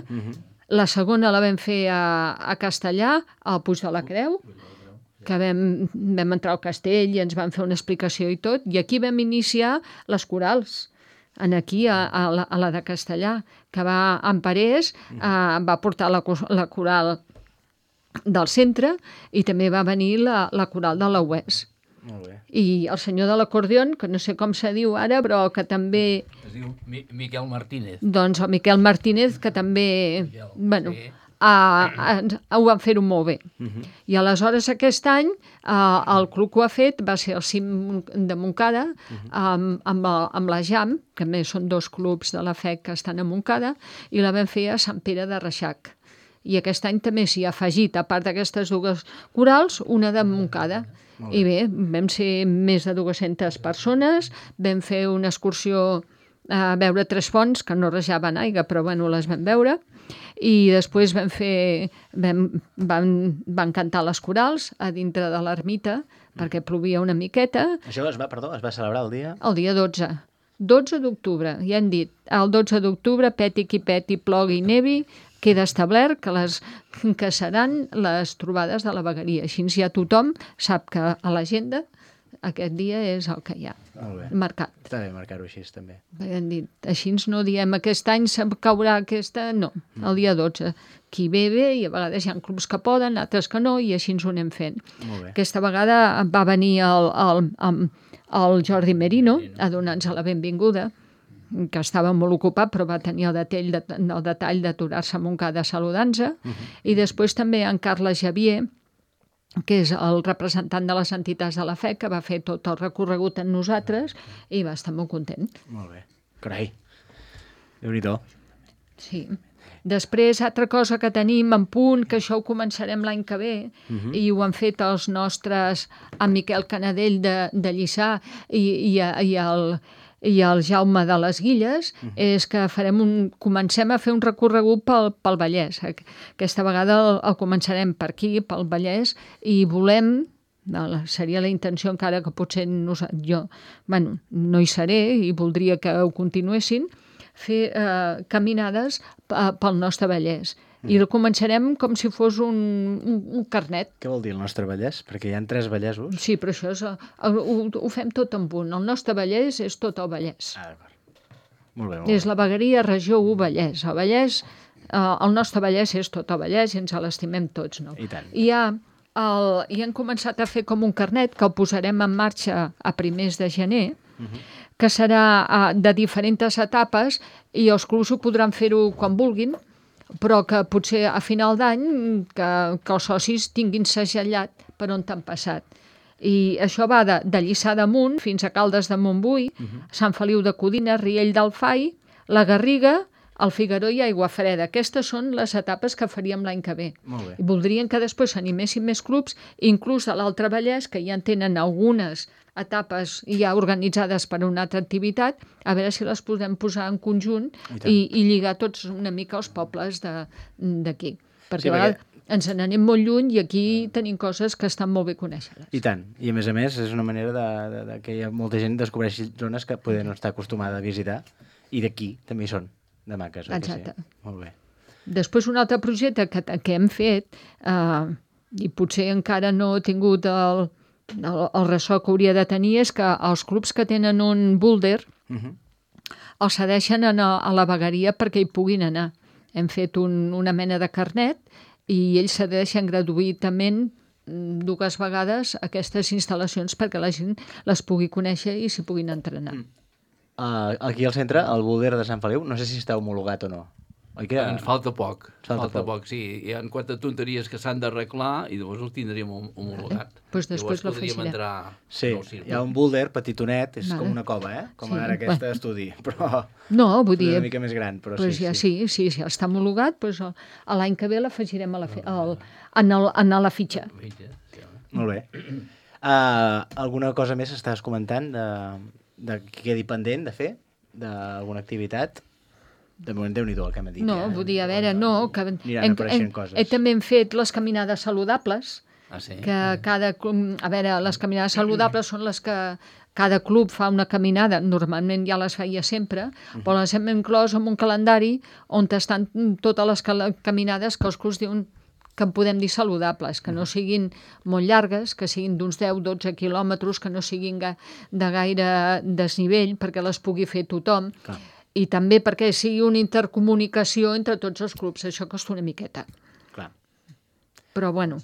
La segona la vam fer a Castellà, al Puig de la Creu, que vam entrar al castell i ens van fer una explicació i tot, i aquí vam iniciar les corals, aquí a la de Castellà, que en Parés va portar la coral del centre i també va venir la coral de la UES. I el senyor de l'acordion, que no sé com se diu ara, però que també... Es diu Miquel Martínez. Doncs el Miquel Martínez, que també... Bueno, ho van fer-ho molt bé. I aleshores aquest any el club que ho ha fet va ser el CIM de Montcada amb la JAM, que a més són 2 clubs de la FEC que estan a Montcada, i la vam fer a Sant Pere de Reixac. I aquest any també s'hi ha afegit, a part d'aquestes 2 corals, una de Montcada. I bé, vam ser més de 200 persones, vam fer una excursió a veure 3 fonts, que no rajaven aigua, però bueno, les vam veure, i després van cantar les corals a dintre de l'ermita, perquè plovia una miqueta. Això es va celebrar el dia? El dia 12. 12 d'octubre, ja hem dit. El 12 d'octubre, peti qui peti, plogui i nevi, queda establert que seran les trobades de la vegueria. Així ja tothom sap que a l'agenda aquest dia és el que hi ha marcat. Està bé marcar-ho així, també. Hem dit, així no diem aquest any caurà aquesta... No, el dia 12. Qui ve, i a vegades hi ha clubs que poden, altres que no, i així ens ho anem fent. Aquesta vegada va venir el Jordi Merino a donar-nos la benvinguda, que estava molt ocupat, però va tenir el detall d'aturar-se a Montcada saludant-se. I després també en Carles Javier, que és el representant de les entitats de la FEC, que va fer tot el recorregut amb nosaltres i va estar molt content. Molt bé. Carai, Déu-n'hi-do. Sí. Després, altra cosa que tenim en punt, que això ho començarem l'any que ve, i ho han fet els nostres, en Miquel Canadell de Lliçà i el Jaume de les Guilles, és que comencem a fer un recorregut pel Vallès. Aquesta vegada el començarem per aquí, pel Vallès, i volem, seria la intenció encara que potser jo no hi seré i voldria que ho continuessin, fer caminades pel nostre Vallès. I el començarem com si fos un carnet. Què vol dir el nostre Vallès? Perquè hi ha 3 Vallesos. Sí, però això és, ho fem tot en un. El nostre Vallès és tot el Vallès. Molt bé, És la vegueria regió 1 Vallès. El Vallès, el nostre Vallès és tot el Vallès i ens l'estimem tots, no? I tant. I hem començat a fer com un carnet que el posarem en marxa a primers de gener, que serà de diferents etapes i els clubs ho podran fer-ho quan vulguin, però que potser a final d'any que els socis tinguin segellat per on t'han passat. I això va de Lliçà d'Amunt fins a Caldes de Montbui, Sant Feliu de Codines, Riell del Fai, la Garriga, el Figaró i Aiguafreda. Aquestes són les etapes que faríem l'any que ve. Molt bé. I voldrien que després s'animessin més clubs, inclús a l'Altre Vallès, que ja en tenen algunes etapes ja organitzades per a una altra activitat, a veure si les podem posar en conjunt i lligar tots una mica els pobles d'aquí. Perquè a vegades ens n'anem molt lluny i aquí tenim coses que estan molt bé conèixer-les. I tant. I a més és una manera de que molta gent descobreixi zones que poder no estar acostumada a visitar i d'aquí també hi són, de maques. Exacte. Sí? Molt bé. Després un altre projecte que hem fet i potser encara no he tingut el ressò que hauria de tenir és que els clubs que tenen un búlder els cedeixen a la vegueria perquè hi puguin anar. Hem fet una mena de carnet i ells cedeixen gratuïtament 2 vegades aquestes instal·lacions perquè la gent les pugui conèixer i s'hi puguin entrenar. Aquí al centre, el búlder de Sant Feliu, no sé si està homologat o no. Oi que... Ens falta poc. Falta poc, sí. Hi ha 4 tonteries que s'han d'arreglar i llavors el tindríem homologat. Pues després podríem entrar... Sí, hi ha un búlder petitonet, és com una cova, com ara aquest estudi, però no, vull dir, una mica més gran. Però sí, està homologat, l'any que ve l'afegirem a la fitxa. Molt bé. Alguna cosa més estàs comentant de que quedi pendent de fer? D'alguna activitat? De moment, Déu-n'hi-do el que m'ha dit. No, vull dir, a veure, no, que aniran apareixent coses. També hem fet les caminades saludables, que a veure, les caminades saludables són les que cada club fa una caminada, normalment ja les feia sempre, però les hem inclòs en un calendari on estan totes les caminades que els clubs diuen que en podem dir saludables, que no siguin molt llargues, que siguin d'uns 10-12 quilòmetres, que no siguin de gaire desnivell, perquè les pugui fer tothom. Clar. I també perquè sigui una intercomunicació entre tots els clubs. Això costa una miqueta. Clar. Però, bueno,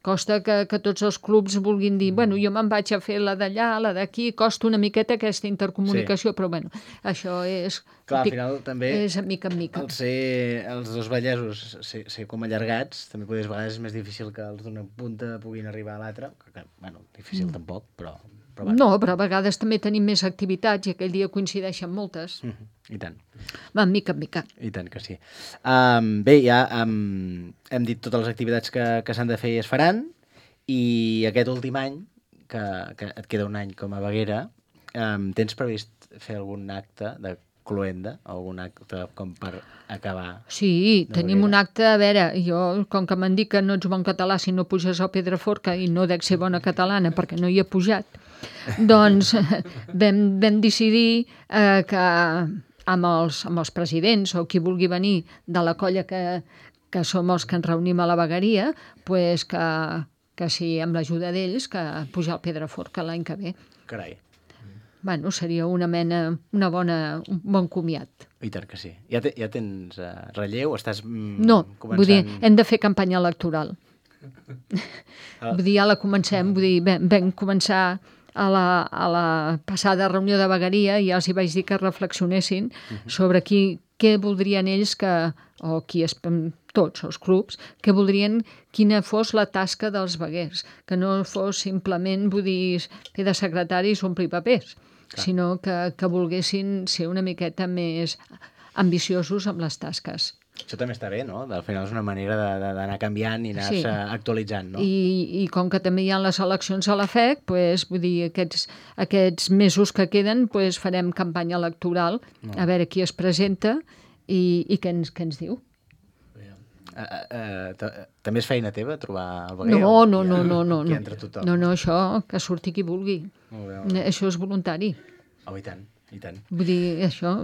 costa que tots els clubs vulguin dir jo me'n vaig a fer la d'allà, la d'aquí, costa una miqueta aquesta intercomunicació, però, bueno, això és... Clar, al final també... És mica en mica. Els 2 vallesos ser com allargats, també a vegades és més difícil que els d'una punta puguin arribar a l'altra, que, bueno, difícil tampoc, però... No, però a vegades també tenim més activitats i aquell dia coincideixen moltes. I tant. Va, mica en mica. I tant que sí. Bé, ja hem dit totes les activitats que s'han de fer i es faran, i aquest últim any, que et queda un any com a veguera, tens previst fer algun acte de cloenda, algun acte com per acabar? Sí, tenim un acte, a veure, jo, com que m'han dit que no ets bon català si no puges al Pedraforca i no dec ser bona catalana perquè no hi he pujat, doncs vam decidir que amb els presidents o qui vulgui venir de la colla que som els que ens reunim a la vegueria, pues que sí, amb l'ajuda d'ells, que pujar al Pedraforca l'any que ve. Carai. Bueno, seria un bon comiat. I tant que sí. Ja tens relleu? Estàs No, començant... vull dir, hem de fer campanya electoral. Vull dir, ja la comencem, vull dir, vam començar a la passada reunió de vegueria i ja els hi vaig dir que reflexionessin sobre què voldrien ells o tots els clubs, que voldrien quina fos la tasca dels veguers, que no fos simplement, vull dir, fer de secretaris o omplir papers, sinó que volguessin ser una miqueta més ambiciosos amb les tasques. Això també està bé, no? Al final és una manera d'anar canviant i anar-se actualitzant, no? I com que també hi ha les eleccions a la FEC, vull dir, aquests mesos que queden farem campanya electoral, a veure qui es presenta i què ens diu. També és feina teva trobar el veguer? No. Aquí entra tothom? No, això, que surti qui vulgui. Això és voluntari. Oh, i tant. I tant. Vull dir, això...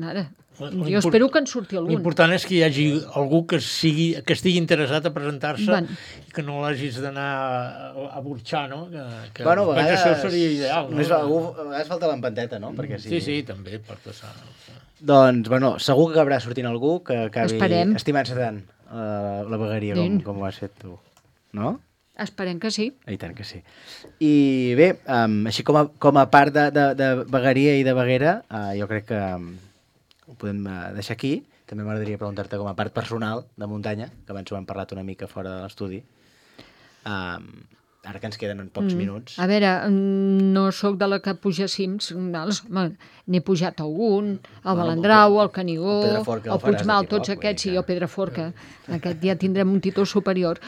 Ara, jo espero que en surti algun. L'important és que hi hagi algú que estigui interessat a presentar-se i que no l'hagis d'anar a burxar, no? Bueno, a vegades... Això seria ideal, no? A vegades falta l'empanteta, no? Perquè Sí, també, pot passar. Doncs, bueno, segur que acabarà sortint algú que acabi estimant-se tant la vegueria com ho has fet tu, no? Esperem que sí. I tant que sí. I bé, així com a part de vegueria i de veguera, jo crec que ho podem deixar aquí. També m'agradaria preguntar-te com a part personal de muntanya, que abans ho hem parlat una mica fora de l'estudi. Ara que ens queden pocs minuts. A veure, no sóc de la que puja cims, n'he pujat algun, el Balandrau, el Canigó, el Puigmal, tots aquests, i el Pedraforca. Aquest ja tindrem un títol superior.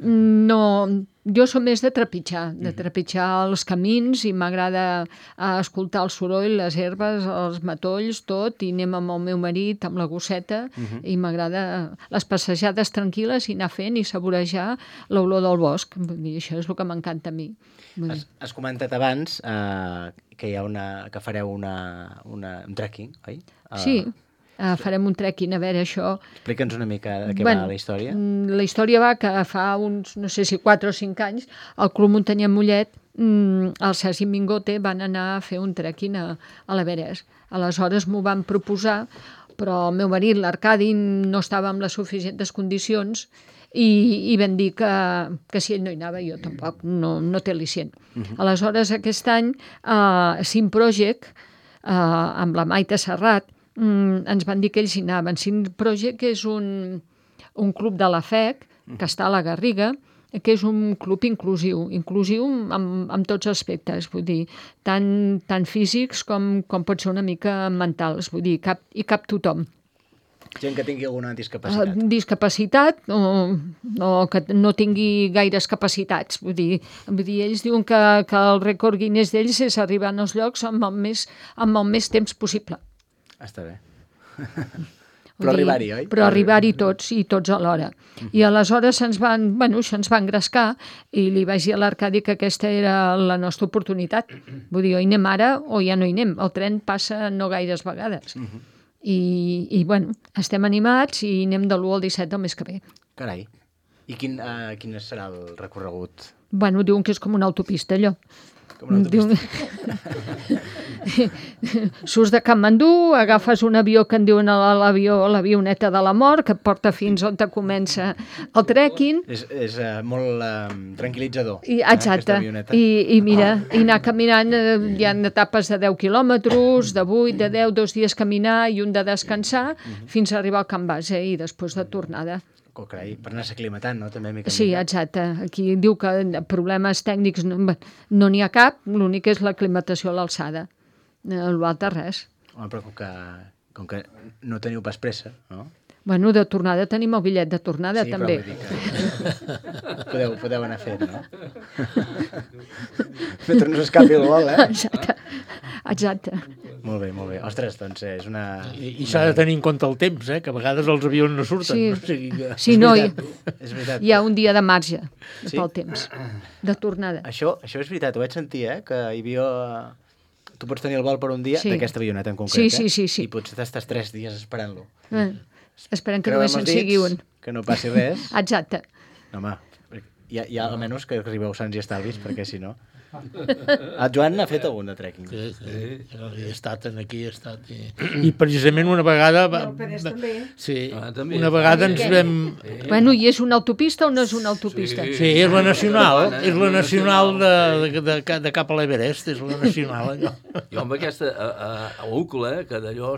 No, jo som més de trepitjar els camins, i m'agrada escoltar el soroll, les herbes, els matolls, tot, i anem amb el meu marit, amb la gosseta, i m'agrada les passejades tranquil·les i anar fent i saborejar l'olor del bosc. I això és el que m'encanta a mi. Has comentat abans que fareu un trekking, oi? Sí. Farem un trekking, a veure això... Explica'ns una mica de què va la història. La història va que fa uns, no sé si 4 o 5 anys, el Club Muntanyer Mollet, el Sergi Mingote, van anar a fer un trekking a l'Everest. Aleshores m'ho van proposar, però el meu marit, l'Arcadi, no estava en les suficients condicions i van dir que si ell no hi anava, jo tampoc, no té al·licient. Aleshores, aquest any, Sim Project, amb la Maite Serrat, ens van dir que ells hi anaven. Sim Project és un club de la FEC que està a la Garriga, que és un club inclusiu amb tots aspectes, vull dir, tant físics com pot ser una mica mentals, vull dir, hi cap tothom. Gent que tingui alguna discapacitat. Discapacitat o que no tingui gaires capacitats. Vull dir, ells diuen que el rècord Guinness d'ells és arribar als llocs amb el més temps possible. Està bé. Però arribar-hi, oi? Però arribar-hi tots, i tots alhora. I aleshores se'ns va engrescar, i li vaig dir a l'Arcadi que aquesta era la nostra oportunitat. Vull dir, o hi anem ara o ja no hi anem. El tren passa no gaires vegades. I bueno, estem animats i anem de l'1 al 17 del mes que ve. Carai. I quin serà el recorregut? Bueno, diuen que és com una autopista, allò. Surts de Katmandú, agafes un avió que en diuen l'avioneta de la mort, que et porta fins on comença el trekking. És molt tranquil·litzador. Exacte. I mira, i anar caminant, hi ha etapes de 10 quilòmetres, de 8, de 10, 2 dies caminar i un de descansar, fins a arribar al camp base i després de tornada. Carai, per anar s'aclimatant, no? També mica. Sí, exacte. Aquí diu que problemes tècnics no n'hi ha cap, l'únic és l'aclimatació a l'alçada. L'altre res. Home, però com que no teniu pas pressa, no? Bueno, de tornada tenim el bitllet de tornada, també. Sí, però vull dir que podeu anar fent, no? Mentre no s'escapi el vol, Exacte. Molt bé. Ostres, doncs és una... I s'ha de tenir en compte el temps, que a vegades els avions no surten. Sí, no, és veritat. Hi ha un dia de marge pel temps, de tornada. Això és veritat, ho vaig sentir, que hi havia... Tu pots tenir el vol per un dia d'aquesta avioneta en concret, sí. I potser estàs 3 dies esperant-lo. Esperem que només en sigui un. Que no passi res. Exacte. No, home, ja almenys que arribeu sants i estalvis, perquè si no... El Joan n'ha fet algun de trekking. Sí, he estat aquí, I precisament una vegada... Una vegada ens vam... Bueno, i és una autopista o no és una autopista? Sí, és la nacional. És la nacional de cap a l'Everest, és la nacional, allò. Jo amb aquesta, a l'Úcula, que d'allò,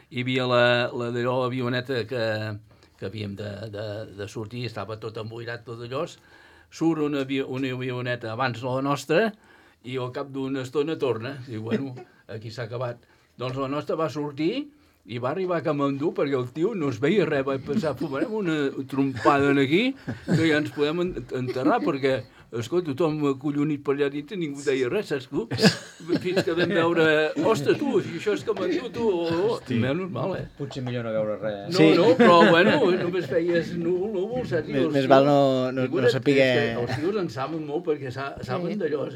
hi havia l'allò avioneta que havíem de sortir, estava tot emboirat, tot allò, surt una avioneta abans de la nostra i al cap d'una estona torna. I bueno, aquí s'ha acabat. Doncs la nostra va sortir i va arribar a Katmandú perquè el tio no es veia res. Vaig pensar, fumarem una trompada aquí que ja ens podem enterrar perquè escolta, tothom collonit per allà dintre, ningú deia res, saps tu? Fins que vam veure, ostres, tu, si això és com a diu, tu, menys mal, Potser millor no veure res. No, però, bueno, només feies núvol, saps? Més val no saber... Els tios en saben molt perquè saben d'allò,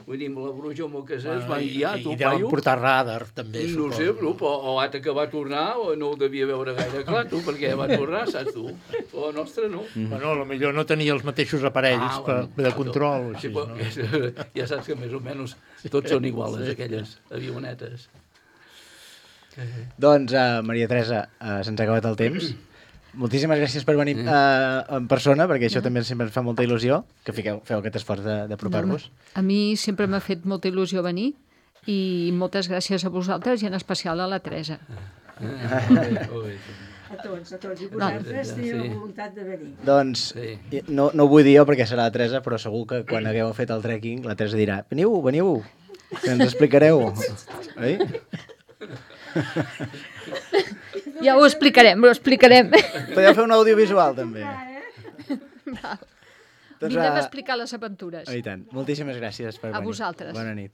Vull dir, amb la bruixa amb el que es van guiar, tu, I deuen portar radar, també, no sé, o l'altre que va tornar no ho devia veure gaire clar, tu, perquè va tornar, saps tu? Però la nostra no. Bueno, potser no tenia els mateixos aparells de control. Sí, ja saps que més o menys tots són iguals, aquelles avionetes. Doncs, Maria Teresa, se'ns ha acabat el temps. Moltíssimes gràcies per venir en persona, perquè això també sempre ens fa molta il·lusió, que feu aquest esforç d'apropar-vos. A mi sempre m'ha fet molta il·lusió venir i moltes gràcies a vosaltres i en especial a la Teresa. A tots. I vosaltres teniu la voluntat de venir. Doncs, no ho vull dir jo perquè serà la Teresa, però segur que quan hagueu fet el trekking, la Teresa dirà, veniu, que ens explicareu. Oi? Ja ho explicarem. Podeu fer un audiovisual, també. Vindrem a explicar les aventures. I tant. Moltíssimes gràcies per venir. A vosaltres. Bona nit.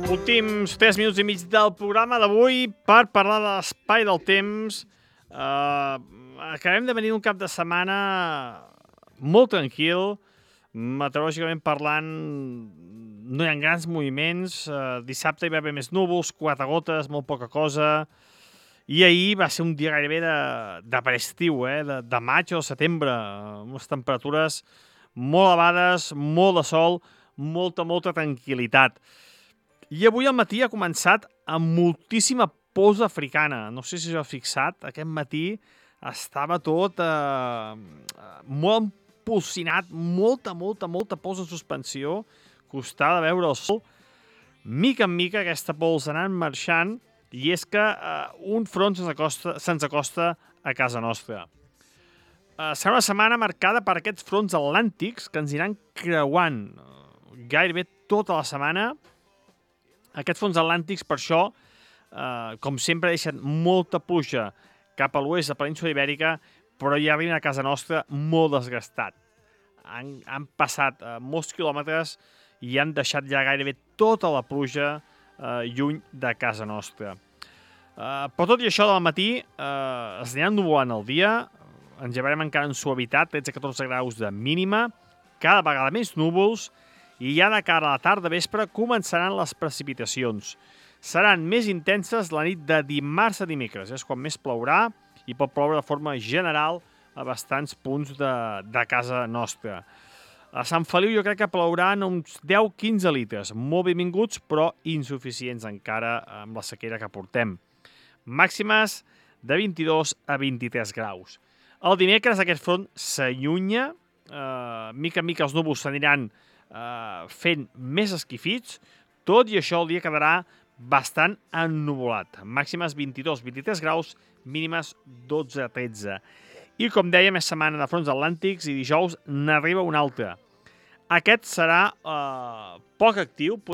Últims 3 minuts i mig del programa d'avui per parlar de l'espai del temps. Acabem de venir un cap de setmana molt tranquil, meteorològicament parlant, no hi ha grans moviments. Dissabte hi va haver més núvols, 4 gotes, molt poca cosa. I ahir va ser un dia gairebé de prestiu, de maig o setembre, amb unes temperatures molt elevades, molt de sol, molta tranquil·litat. I avui al matí ha començat amb moltíssima pols africana. No sé si us heu fixat, aquest matí estava tot molt empolsinat, molta pols en suspensió, costava veure el sol. Mica en mica aquesta pols ha anat marxant i és que un front se'ns acosta a casa nostra. Serà una setmana marcada per aquests fronts atlàntics que ens aniran creuant gairebé tota la setmana. Aquests fronts atlàntics, per això, com sempre, deixen molta pluja cap a l'oest de la península Ibèrica, però ja arriben a casa nostra molt desgastat. Han passat molts quilòmetres i han deixat ja gairebé tota la pluja lluny de casa nostra. Però tot i això, del matí es anirà ennuvolant el dia, ens llevarem encara en suavitat, 13-14 graus de mínima, cada vegada més núvols, i ja de cara a la tarda vespre començaran les precipitacions. Seran més intenses la nit de dimarts a dimecres, és quan més plourà i pot ploure de forma general a bastants punts de casa nostra. A Sant Feliu jo crec que plouran uns 10-15 litres, molt benvinguts però insuficients encara amb la sequera que portem. Màximes de 22 a 23 graus. El dimecres aquest front s'allunya, mica en mica els núvols s'aniran fent més esquifits, tot i això el dia quedarà bastant ennuvolat. Màximes 22-23 graus, mínimes 12-13. I com dèiem, és setmana de fronts atlàntics i dijous n'arriba un altre. Aquest serà poc actiu,